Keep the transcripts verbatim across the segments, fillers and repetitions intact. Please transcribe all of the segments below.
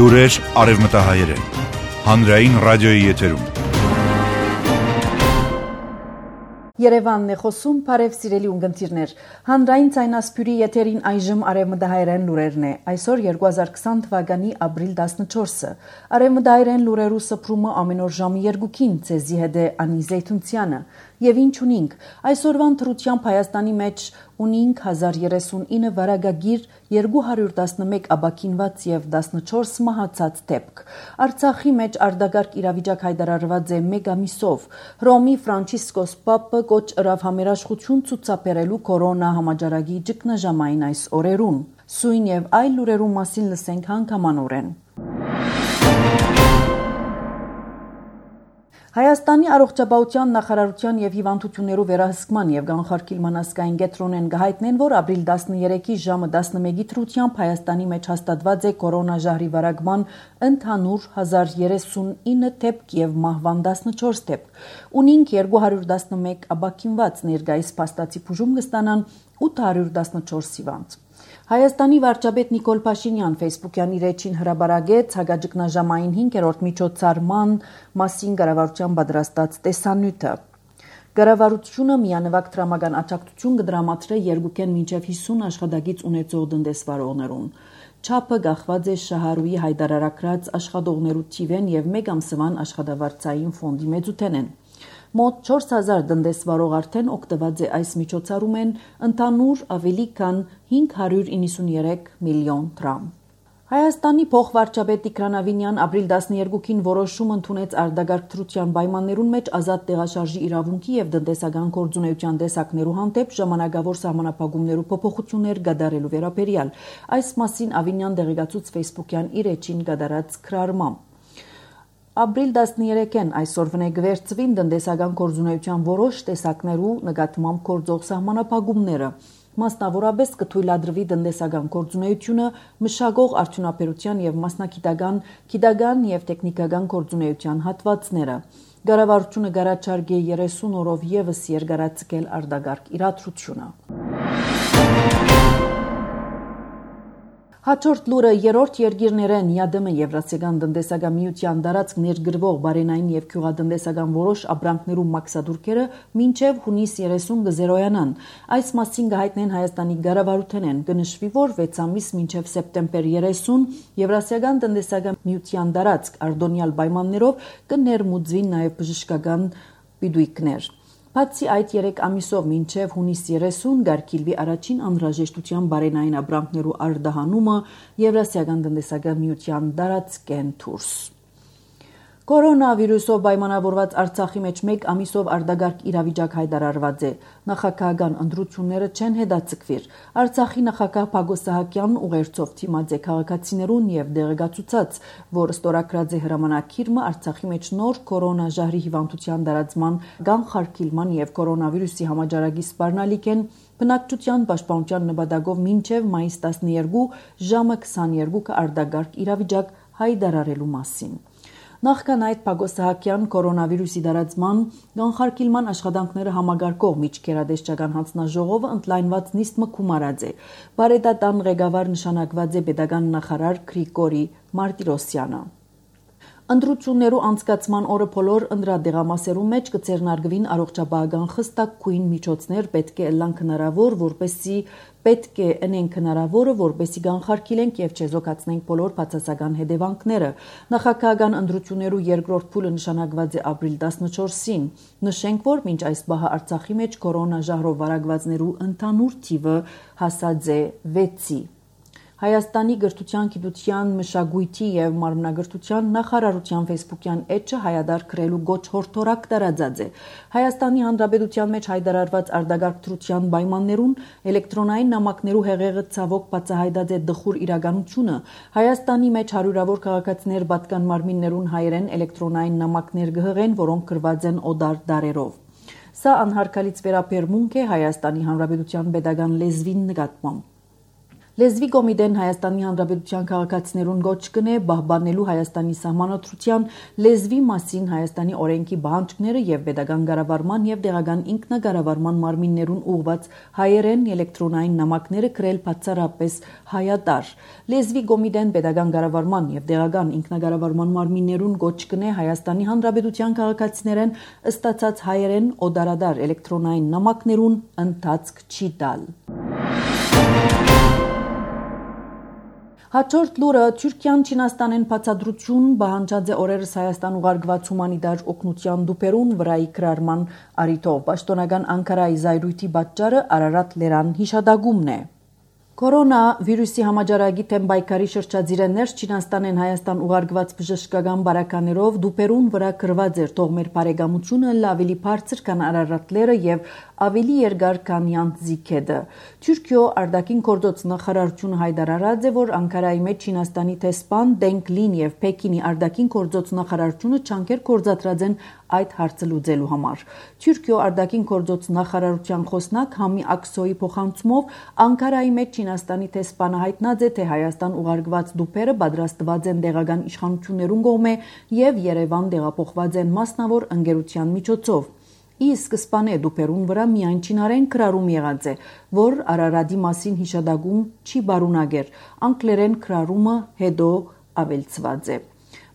Լուրեր արևմտահայերեն։ Հանրային ռադիոյի եթերում։ Երևանն է խոսում, բարև սիրելի ունգընտիրներ։ Հանրային ցայնասպյուրի եթերին այժմ արևմտահայերեն լուրերն է։ Այսօր երկու հազար քսան թվականի ապրիլ տասնչորսը։ Արևմտահայերեն լուրերու սփռումը ամեն օր ժամը երկուքին ցեզի հետ է Անի Զեյթունցյանը։ Եվ ինչ ունինք, այսօրվան թրությամբ Հայաստանի մեջ ունինք հազար երեսունինը վարակագիր, երկու հարյուր տասնմեկ աբաքինված եւ տասնչորս մահացած դեպք։ Արցախի մեջ արտագարկ իրավիճակ հայտարարված է մեկ ամիսով։ Հռոմի Ֆրանցիսկոս Պապը կոչ ըրավ համերաշխություն ցուցաբերելու կորոնա համաճարակի ճգնաժամային այս օրերուն։ Սույն եւ այլ լուրերու մասին լսենք հանգամանորեն։ Հայաստանի առողջապահության նախարարության եւ հիվանդություններու վերահսկման եւ կանխարգելման ազգային կենտրոնեն գահիտնեն, որ ապրիլ տասներեքի ժամը տասնմեկի թրությամբ Հայաստանի մեջ հաստատված է կորոնաժահրի վարակման ընդհանուր հազար երեսունինը դեպք եւ մահվան տասնչորս դեպք։ Ունինք երկու հարյուր տասնմեկ աբաքինված, ներկայիս փաստացի բուժում կստանան ութ հարյուր տասնչորս հիվանդ։ Հայաստանի վարչապետ Նիկոլ Փաշինյան Facebook-յան իր էջին հրաբարագեց հագաճգնաժամային հինգերորդ միջոցառման մասին կառավարության պատրաստած տեսանյութը։ Կառավարությունը միանվագ դրամական աջակցություն կդրամատրե երկուքեն մինչև հիսուն աշխատակից ունեցող տնտեսվարողներուն։ Չափը կախված է շահառուի հայտարարած աշխատողներու թիվեն եւ մեկ ամսվան աշխատավարձային ֆոնդի մեծութենեն։ Մոտ չորս հազար տնտեսվարող արդեն օգտված է այս միջոցառումեն, ընդհանուր ավելի քան հինգ հարյուր իննսուններեք միլիոն դրամ։ Հայաստանի փոխվարչապետ Տիգրան Ավինյան ապրիլ տասներեքին որոշում ընդունեց արտագաղթության պայմաններուն մեջ ազատ տեղաշարժի իրավունքի եւ տնտեսական գործունեության տեսակներու հանդեպ ժամանակավոր սահմանափակումներու փոփոխություններ կատարելու վերաբերյալ։ Այս մասին Ավինյան դեղեկացուց Facebook-յան իր էջին կատարած քրարմամբ։ Ապրիլ տասներեքին այսօր վնեգվերծվին տնտեսական գործունեության որոշ տեսակներու նկատմամբ գործող սահմանափակումները։ Մասնավորապես կթույլատրվի տնտեսական գործունեությունը, մշակող արդյունաբերության եւ մասնագիտական, գիտական եւ տեխնիկական գործունեության հատվածները։ Կառավարությունը կառաջարկե երեսուն օրով եւս երկարացնել արտագաղթ իրադրությունը։ Հաջորդ լուրը երրորդ երկիրներեն ԵԱԴՄ Եվրասիական տնտեսական միության տարածք ներգրվող բարենային եւ գյուղատնտեսական որոշ ապրանքներու մաքսադուրքերը մինչեւ հունիս երեսուն կզերոյանան։ Այս մասին կհայտնեն Հայաստանի կառավարութենեն։ Կնշվի, որ վեց ամիս մինչեւ սեպտեմբեր երեսուն Եվրասիական տնտեսական միության տարածք արտոնյալ պայմաններով կներմուծվին նաեւ բժշկական պիտույքներ։ Բացի այդ երեք ամիսով մինչև հունիս երեսուն կարգիլվի առաջին անհրաժեշտության բարենային ապրանքներու արտահանումը Եվրասիական տնտեսական միության տարածքեն դուրս։ Կորոնավիրուսով պայմանավորված Արցախի մեջ մեկ ամիսով արտագաղթ իրավիճակ հայտարարված է։ Նախագահական ընտրությունները չեն հետաձգվիր։ Արցախի նախագահ Պագոս Սահակյանն ուղերձով դիմաց է քաղաքացիներուն եւ դեղեկացուցած, որ ստորագրած է հրամանակիրը Արցախի մեջ նոր կորոնաժահրի հիվանդության տարածման, կանխարգելման եւ կորոնավիրուսի համաճարակի սպառնալիքեն բնակչության պաշտպանության նպատակով մինչև մայիս տասներկու ժամը քսաներկուը արտագաղթ իրավիճակ հայտարարելու մասին։ Նախքան այդ Պագոս Սահակյան կորոնավիրուսի տարածման կանխարգելման աշխատանքները համագարկող միջկերադեսչական հանձնաժողովը ընդլայնված նիստ մկում արած է։ Բարետատան ղեկավար նշանակված է պետական նախարար Գրիգորի Մարտիրոսյանը։ Ընտրություններու անցկացման օրը բոլոր ընդրադեղամասերու մեջ կձեռնարկվին առողջապահական խստակույն միջոցներ պետք է ըլլան հնարավոր, որպեսզի պետք է ընենք հնարավորը, որպեսզի կանխարգելենք եւ չեզոքացնենք բոլոր բացասական հետևանքները։ Նախագահական ընտրություններու երկրորդ փուլը նշանակված է ապրիլ տասնչորսին։ Նշենք, որ մինչ այս բահը Արցախի մեջ կորոնաժահրով վարակվածներու ընդհանուր թիվը հասած է վեցի։ Հայաստանի գրթության, գիտության, մշակույթի եւ մարմնագրթության նախարարության Facebook-յան էջը հայադար գրելու գոչ հորդորակ տարածած է։ Հայաստանի Հանրապետության մեջ հայտարարված արտագաղթության պայմաններուն էլեկտրոնային նամակներու հեղեղը ցավոք բացահայտած է դխուր իրականությունը։ Հայաստանի մեջ հարյուրավոր քաղաքացիներ պատկան մարմիններուն հայերեն էլեկտրոնային նամակներ կհղեն, որոնք գրված են օդար դարերով։ Սա անհարգալից վերաբերմունք է Հայաստանի Հանրապետության պետական լեզվին նկատմամբ։ Լեզվի կոմիտեն Հայաստանի Հանրապետության քաղաքացիներուն գոչ կնե բահբանելու Հայաստանի սահմանադրության լեզվի մասին Հայաստանի օրենքի բանջկները եւ pedagogan կառավարման եւ դեղական ինքնակառավարման մարմիններուն ուղված հայերեն էլեկտրոնային նամակները գրել բացառապես հայատար։ Լեզվի կոմիտեն pedagogan կառավարման եւ դեղական ինքնակառավարման մարմիններուն գոչ կնե Հայաստանի Հանրապետության քաղաքացիներեն ըստացած հայերեն օդարադար էլեկտրոնային նամակներուն ընթացք չի տալ։ Հաջորդ լուրը Թուրքիան Չինաստանեն բացադրություն բանջած է օրերս Հայաստան ուղարկված հումանիտար օգնության դուպերուն վրայի կրարման արիթով պաշտոնական Անկարայի զայրույթի պատճառը Արարատ լերան հիշադակումն է։ Կորոնա վիրուսի համաճարակի թեմ պայքարի շրջադիրը ներս Չինաստանեն Հայաստան ուղարկված բժշկական բարականերով դուպերուն վրա գրված էր թող մեր բարեկամությունը ավելի բարձր քան Արարատլերը եւ ավելի երկար քան Յանտզիկեդը։ Թուրքիո արտաքին գործոց նախարարությունը հայտարարած է, որ Անկարայի մեջ Չինաստանի տեսփան Դենգլին եւ Պեկինի արտաքին գործոց նախարարությունը չանքեր կորցածրած են այդ հարցը լուծելու համար։ Թուրքիո արտաքին գործոց նախարարության խոսնակ Համի Աքսոյի փոխանցումով Անկարայի մեջ Չինաստանի տեսփանը հայտնած է, թե Հայաստան ուղարկված դուպերը պատրաստված են տեղական իշխանություններուն կողմէ եւ Երևան տեղափոխված են մասնավոր ընկերության միջոցով։ Ի սկզբանե դուպերուն վրա միայն չինարեն գրառում եղած է, որ Արարատի մասին հիշադակում չի բարունակեր, անգլերեն գրառումը հետո ավելցված է։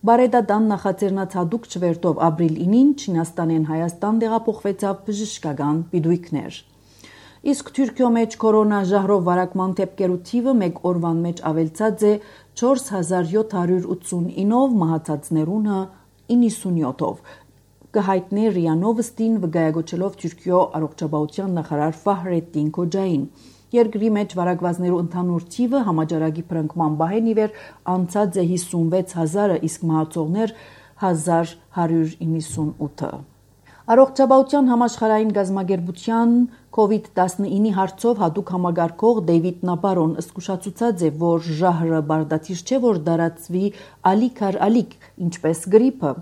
Բարեդատան նախաձեռնած հատուկ չվերթով ապրիլ ինին Չինաստանեն Հայաստան տեղափոխվեցավ բժշկական պիտույքներ։ Իսկ Թուրքիո մեջ կորոնա ժահրով վարակման դեպքերու թիվը մեկ օրվան մեջ ավելցած է չորս հազար յոթ հարյուր ութսունինով, մահացածներունը իննսունյոթով։ Կհայտնի ՌԻԱ Նովոստին վկայակոչելով Թուրքիո առողջապահության նախարար Ֆահրեդդին Քոջային։ Երկրի մեջ վարակվածներու ընդհանուր թիվը համաճարակի փրկման բահեն իվեր անցած է հիսունվեց հազարը, իսկ մահացողներ հազար հարյուր իննսունութը։ Առողջապահության համաշխարհային գազագերբության կովիդ տասնինի հարցով հատուկ համագարկող Դեյվիդ Նաբարոն զսկուշացուցած է, որ ժահրը բարդաթիր չէ, որ դարածվի ալիք առ ալիք, ինչպես գրիպը։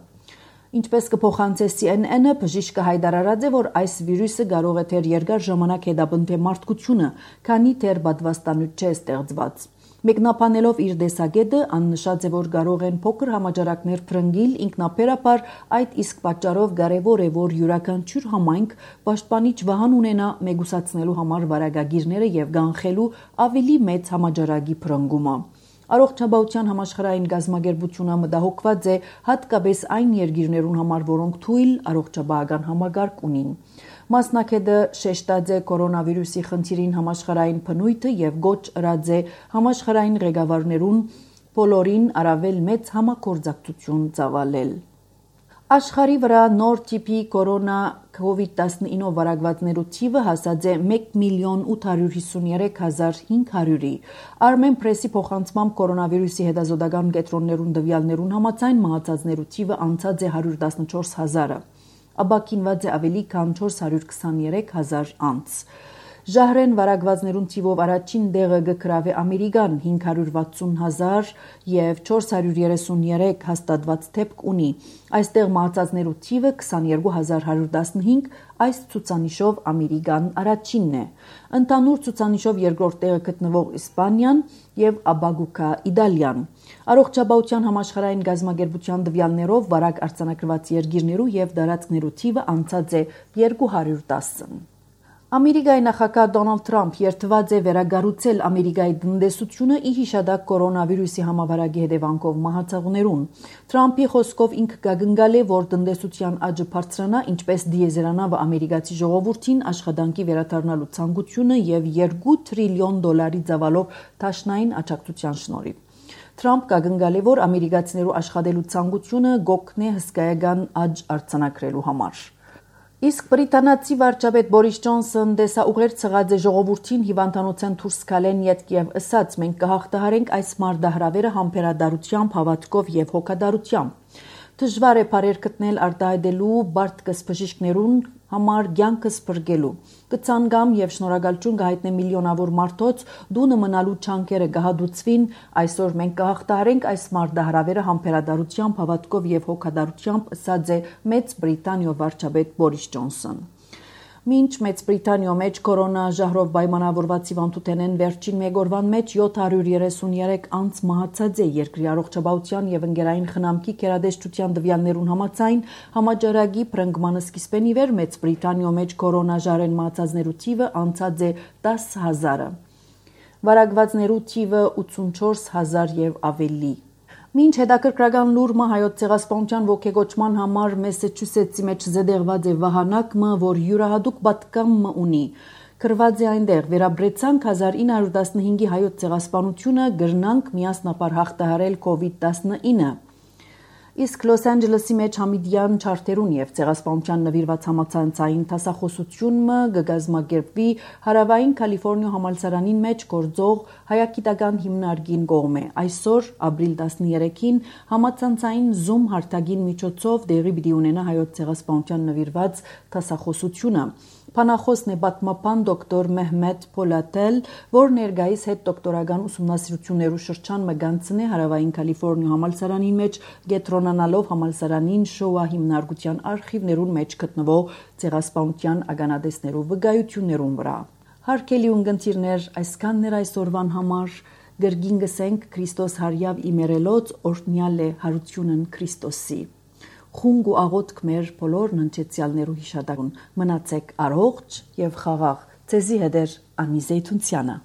Ինչպես կփոխանցե C N N-ը, բժիշկը հայտարարած է, որ այս վիրուսը կարող է թեր երկար ժամանակ հետապնդել մարդկությունը, քանի թեր պատվաստանյութ չէ ստեղծված։ Մեկնաբանելով իր տեսակետը, աննշած է, որ կարող են փոքր համաճարակներ փրկել ինքնաբերաբար, այդ իսկ պատճառով կարևոր է, որ յուրաքանչյուր համայնք պաշտպանիչ վահան ունենա մեգուսացնելու համար վարակագիրները եւ կանխելու ավելի մեծ համաճարակի փրկումը։ Առողջապահության համաշխարհային գազագերբությունը մտահոգված է հատկապես այն երկիրներուն համար, որոնք թույլ առողջապահական համագարկ ունին։ Մասնակետը շեշտած է կորոնավիրուսի խնդիրին համաշխարհային բնույթը եւ գոչ ըրած է համաշխարհային ղեկավարներուն բոլորին առավել մեծ համագործակցություն ծավալել։ Աշխարհի վրա նոր տիպի կորոնա կովիդ տասնինով վարակվածներու թիվը հասած է մեկ միլիոն ութ հարյուր հիսուներեք հազար հինգ հարյուրի։ Armen Press-ի փոխանցմամբ կորոնավիրուսի հետազոտական կենտրոններուն տվյալներուն համաձայն մահացածներու թիվը անցած է հարյուր տասնչորս հազարը։ Աբակինված է ավելի քան չորս հարյուր քսաներեք հազար անց։ Ժահրեն վարակվածներուն թիվով առաջին դեղը գկրավ է Ամերիկան հինգ հարյուր վաթսուն հազար եւ չորս հարյուր երեսուներեք հաստատված դեպք ունի։ Այստեղ մահացածներու թիվը քսաներկու հազար հարյուր տասնհինգ, այս ցուցանիշով Ամերիկան առաջինն է։ Ընդհանուր ցուցանիշով երկրորդ տեղը գտնվող Իսպանիան եւ ապագուկա Իտալիան։ Առողջապահության համաշխարհային գազագերբության տվյալներով վարակ արձանագրված երկիրներու եւ դարածքներու թիվը անցած է երկու հարյուր տասը։ Ամերիկայի նախագահ Դոնալդ Թրամփ երթված է վերագառուցել Ամերիկայի տնտեսությունը ի հիշադակ կորոնավիրուսի համավարակի հետևանքով մահացողներուն։ Թրամփի խոսքով ինքը կգնգալ է, որ տնտեսության աճը բարձրանա, ինչպես դիեզերանա ամերիկացի ժողովրդին աշխատանքի վերադառնալու ցանկությունը եւ երկու տրիլիոն դոլարի ծավալով դաշնային աջակցության շնորհիվ։ Թրամփ կգնգալ է, որ ամերիկացիներու աշխատելու ցանկությունը գոքն է հսկայական աճ արձանագրելու համար։ Իսկ բրիտանացի վարչապետ Բորիս Ջոնսոն դեսաուղեր ցղած է ժողովրդին հիվանդանոցեն դուրս գալեն յետք եւ ըսած մենք կհաղթահարենք այս մարտահրավերը համբերատարությամբ, հավատքով եւ հոգատարությամբ։ Դժվար է բարեր գտնել արտահայտելու բարդկս բժիշկներուն համար ցանկս բրգելու։ Կցանգամ եւ շնորհակալություն կհայտնեմ միլիոնավոր մարդոց դունը մնալու չանկերը կհադուցվին, այսօր մենք կհաղթահարենք այս մարտահրավերը համբերատարությամբ, հավատքով եւ հոգատարությամբ, ըսած է Մեծ Բրիտանիո վարչապետ Բորիս Ջոնսոն։ Մինչ Մեծ Բրիտանիո մեջ կորոնաժահրով պայմանավորված հիվանդութենեն վերջին մեկ օրվան մեջ յոթ հարյուր երեսունյերեք անց մահացած է երկրի առողջապահության եւ ընկերային խնամքի գերադեսչության տվյալներուն համաձայն համաճարակի փրկման սկիզբեն ի վեր Մեծ Բրիտանիո մեջ կորոնաժահրեն մահացածներու թիվը անցած է դաս հազարը, վարակվածներու թիվը ութսունչորս հազար եւ ավելի։ Մինչ հետաքրքրական լուրը հայոց ցեղասպանության ողջագործման համար Մասաչուսեթսի մեջ զդեղված է վահանակը, որ յուրահատուկ պատկամ ունի։ Կրված է այնտեղ վերաբրեցանք հազար ինը հարյուր տասնհինգի հայոց ցեղասպանությունը գրնանք միասնապար հաղթահարել կովիդ տասնինը։ Իսկ Լոս Անջելեսի մեջ համիդյան չարթերուն եւ ցեղասպանության նվիրված համացանցային տասախոսությունը գգազմագերբվի հարավային Կալիֆոռնիա համալսարանին մեջ գործող հայագիտական հիմնարկին կողմէ։ Այսօր ապրիլ տասներեքին համացանցային Zoom հարթակին միջոցով դեղի պիտի ունենա հայոց ցեղասպանության նվիրված տասախոսությունը։ Փանախոսն է պատմապան դոկտոր Մեհմեդ Փոլատել, որ ներկայիս հետ դոկտորական ուսումնասիրություններու շրջան մգանցնե հարավային Կալիֆոռնիա համալսարանին մեջ գետրոնանալով համալսարանին շոուա հիմնարկության արխիվներուն մեջ գտնվող ցեղասպանության ականատեսներու վկայություններուն վրա։ Հարգելի ունգընտիրներ, այսքանն էր այսօրվան համար։ Գրգին գսենք Քրիստոս հարյավ իմերելոց օրհնյալ է հարությունն Քրիստոսի։ Խունգ ու աղոթք մեր բոլոր ննչեցյալներու հիշատակուն։ Մնացեք առողջ եւ խաղաղ։ Ձեզի հետ է Անի Զեյթունցյանը։